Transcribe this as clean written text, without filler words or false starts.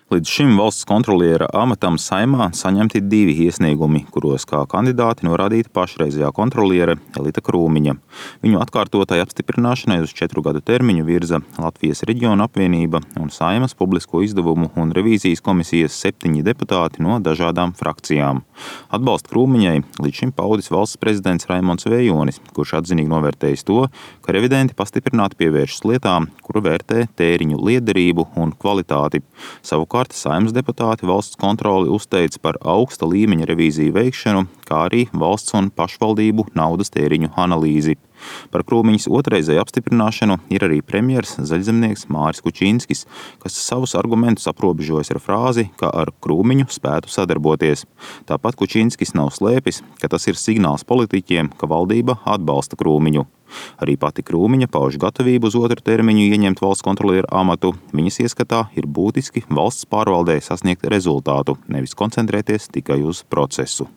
Līdz šim valsts kontroliera amatam Saeimā saņemti 2 iesniegumi, kuros kā kandidāti norādīta pašreizējā kontroliere Elita Krūmiņa. Viņu atkārtotai apstiprināšanai uz 4 gadu termiņu virza Latvijas Reģionu apvienība un Saeimas publisko izdevumu un revīzijas komisijas 7 deputāti no dažādām frakcijām. Atbalstu Krūmiņai līdz šim paudis valsts prezidents Raimonds Vējonis, kurš atzinīgi novērtējis to, ka revidenti pastiprināti pievēršas lietām, kuru vērtē tēriņu liederību un kvalitāti. Savukārt Saeimas deputāti valsts kontroli uzteica par augsta līmeņa revīziju veikšanu, kā arī valsts un pašvaldību naudas tēriņu analīzi. Par Krūmiņas otrreizēju apstiprināšanu ir arī premjers zaļzemnieks Māris Kučinskis, kas savus argumentus aprobežojas ar frāzi, ka ar Krūmiņu spētu sadarboties. Tāpat Kučinskis nav slēpis, ka tas ir signāls politiķiem, ka valdība atbalsta Krūmiņu. Arī pati Krūmiņa pauž gatavību uz otru termiņu ieņemt valsts kontroliera amatu. Viņas ieskatā ir būtiski valsts pārvaldē sasniegt rezultātu, nevis koncentrēties tikai uz procesu.